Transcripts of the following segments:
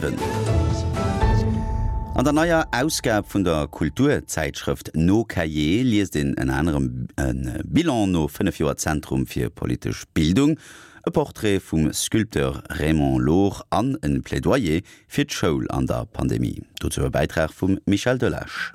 7. An der neier Ausgab vun der Kulturzäitschrëft No Cahiers liest een ënner anerem e Bilan no 5 Joer Zentrum fir politesch Bildung, e Portrait vum Sculpteur Raymond Lohr an e Plädoyer fir d'Schoul an der Pandemie. Dozou e Bäitrag vum Michel Delage.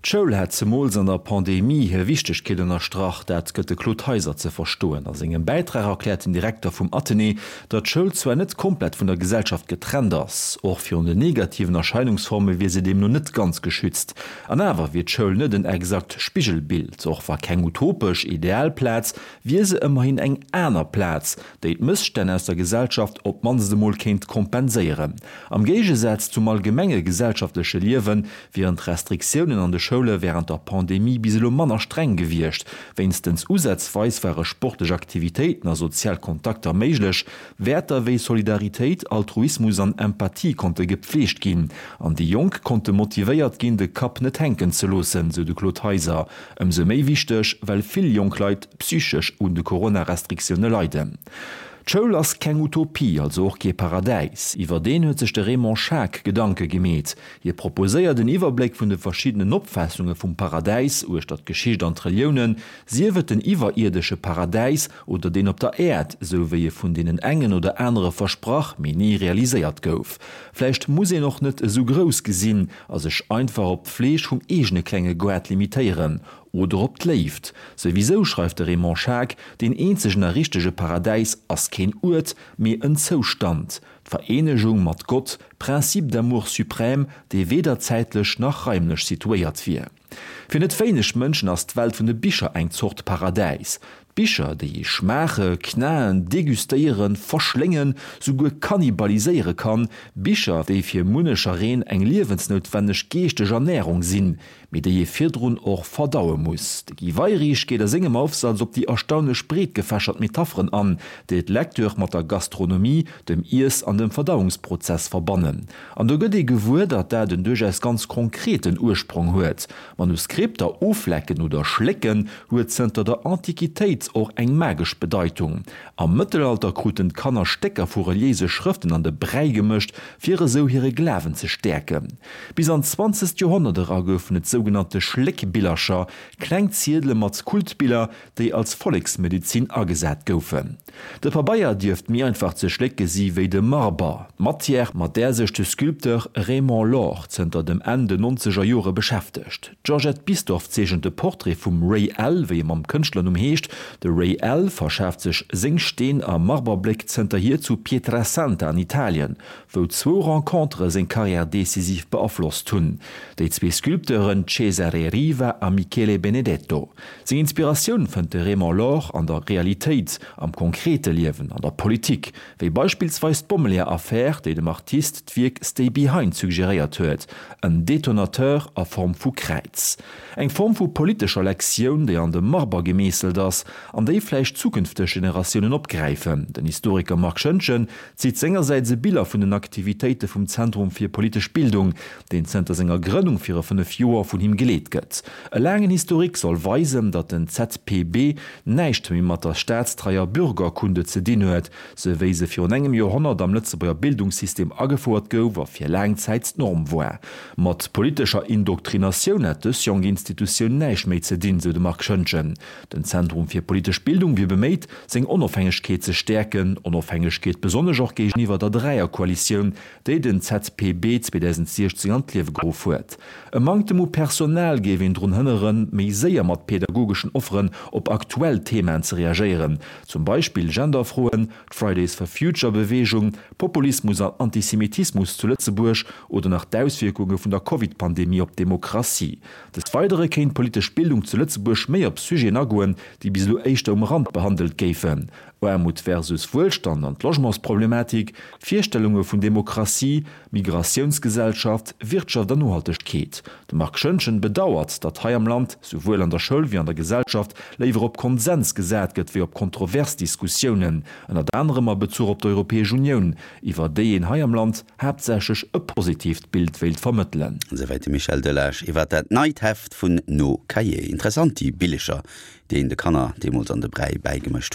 D'Schoul hätt zemools an der Pandemie hir Wichtegkeet ënnerstrach, dat gëtt de Claude Heiser ze verstoen. A sengem Bäitrag erkläert den Direkter vum Athenée, datt d'Schoul zwar net komplett vun der Gesellschaft getrennt ass, och virun den negativen Erscheinungsforme wier se deemno net ganz geschützt. An awer wier d'Schoul net en exakt Spigelbild, och wa keng utopesch, ideal Plaz, wier se ëmmerhin eng aner Plaz, déi d'Mësstänn aus der Gesellschaft op d'mannst emol kéint kompenséieren. Am Géigesaz zum allgemenge gesellschaftleche Liewe wieren d'Restriktiounen an de Schoule wärend der Pandemie bis elo manner streng gewiescht. Wéinstens usazweis ware sportlech Aktivitéiten a sozial Kontakter méiglech. Wäerter wéi Solidaritéit, Altruismus an Empathie konnte gepfleegt ginn an déi Jonk konnte motivéiert ginn, de Kapp net hänken ze loossen, sou de Claude Heiser. Ëmsou méi wichteg, well vill jonk Leit psychesch un de Corona-Restriktioune leiden. D'Schoul ass keng Utopie, also och kee Paradäis. Iwwer deen huet sech de Raymond Schaack Gedanke gemeet. Hie proposéiert en Iwwerbléck vun de verschiddenen Opfaassunge vum Paradäis uechter d'Geschicht an d'Reliounen, sief et den iwwerierdesche Paradäis oder deen op der Äerd, sou wéi e vun deenen engen oder anere versprach, mee ni realiséiert gouf. Vläicht muss een och net esou grouss gesinn a sech einfach op d'Fleeg vum eegene klenge Goart limitéieren oder op d'Léift. Souwisou, schreift de Raymond Schaack, deen eenzegen a richtege Paradäis ass keen Uert, mee en Zoustand. D'Vereenegung mat Gott, Principe d'amour suprême, dee weder zäitlech nach raimlech situéiert wier. Fir net wéineg Mënschen ass d'Welt vun de Bicher eng Zort Paradäis. D'Bicher, déi ee schmaache, knaen, degustéieren, verschléngen, souguer kannibaliséiere kann. Bicher, déi fir munnechereen eng liewensnoutwenneg geeschteg Ernärung sinn, mee déi ee virdrun och verdaue muss. De Guy Weirich geet a sengem Aufsatz op déi erstaunlech breetgefächert Metapheren an, déi d'Lecture mat der Gastronomie, dem Iess an dem Verdauungsprozess verbannen. An do gëtt ee gewuer, datt dat en duerchaus ganz konkreten Ursprong huet. Manuskripter oflecken oder schlécken huet zënter der Antiquitéit och eng magesch Bedeitung. Am Mëttelalter kruten d'Kanner Stécker vu reliéise Schrëften an de Bräi gemëscht, fir esou hire Glawen ze stäerken. Bis an d'zwanzegt Joerhonnert era goufen et sougenannte Schléckbillercher, kleng Ziedele mat Kultbiller, déi als Volleksmedezin agesat goufen. De Pabeier dierft méi einfach ze schlécke si wéi de Marber, d'Matière, mat där sech de Sculpteur Raymond Lohr zënter dem Enn den nonzeger Jore beschäftegt. D'Georgette Bisdorff zeechent de Portrait vum Ray L. wéi e mam Kënschtlernumm heescht. De Ray L. verschaaft sech seng Steen a Marberbléck zënterhier zu Pietrasanta an Italien, wou zwou Rencontere seng Karriär decisiv beaflosst hunn, déi zwee Sculpteuren Cesare Riva a Michele Benedetto. Seng Inspiratioun fënnt de Raymond Lohr an der Realitéit, am konkrete Liewen, an der Politik, wéi beispillsweis d'Bommeleeër-Affär, déi dem Artist d'Wierk Stay Behind suggeréiert huet, en Detonateur a Form vu Kräiz. Eng Form vu politescher Lektioun, déi an de Marber gemeesselt ass an déi vläicht zukünfteg Generatiounen opgräifen. Den Historiker Marc Schoentgen zitt sengersäits e Biller vun den Aktivitéite vum Zentrum fir politesch Bildung, deen zënter senger Grënnung viru 5 Joer vun him geleet gëtt. E laangen Historique soll weisen, datt den ZPB näischt méi mat der staatstreier Bürgerkunde ze dinn huet, sou wéi se virun engem Joerhonnert am Lëtzebuerger Bildungssystem agefouert gouf a fir laang Zäit d'Norm war. Mat politescher Indoktrinatioun hätt dës jonk Institutioun näischt méi ze dinn, sou de Marc Schoentgen. Den Zentrum fir politesch Bildung wier beméit, seng Onofhängegkeet ze stäerken, Onofhängegkeet besonnesch och géigeniwwer der Dräierkoalitioun, déi den ZPB 2016 an d'Liewe geruff huet. E Manktem u Personal géif een drun hënneren, méi séier mat pedagogeschen Offeren op aktuell Themaen ze reagéieren, zum Beispill Genderfroen, d'Fridays for Future Beweegung, Populismus an Antisemitismus zu Lëtzebuerg oder nach d'Auswierkunge vun der Covid-Pandemie op d'Demokratie. Des Weidere kéint d'politesch Bildung zu Lëtzebuerg méi op Sujeten agoen, déi bis elo éischter um Rand behandelt géifen, Aarmut versus Wuelstand an d'Logementsproblematik, Virstellunge vun Demokratie, Migratiounsgesellschaft, Wirtschaft an Nohaltegkeet. De Marc Schoentgen bedauert, datt hei am Land, souwuel an der Schoul wéi an der Gesellschaft, léiwer op Konsens gesat gëtt wéi op kontrovers Diskussiounen, ënnert anerem a Bezuch op d'Europäesch Unioun, iwwer déi een hei am Land haaptsächlech e positiivt Bild wéilt vermëttelen. Esouwäit de Michel Delage iwwer dat neit Heft vun Nos Cahiers. Interessant déi Billecher, déi een de Kanner deemools an de Bräi bäigemëscht huet.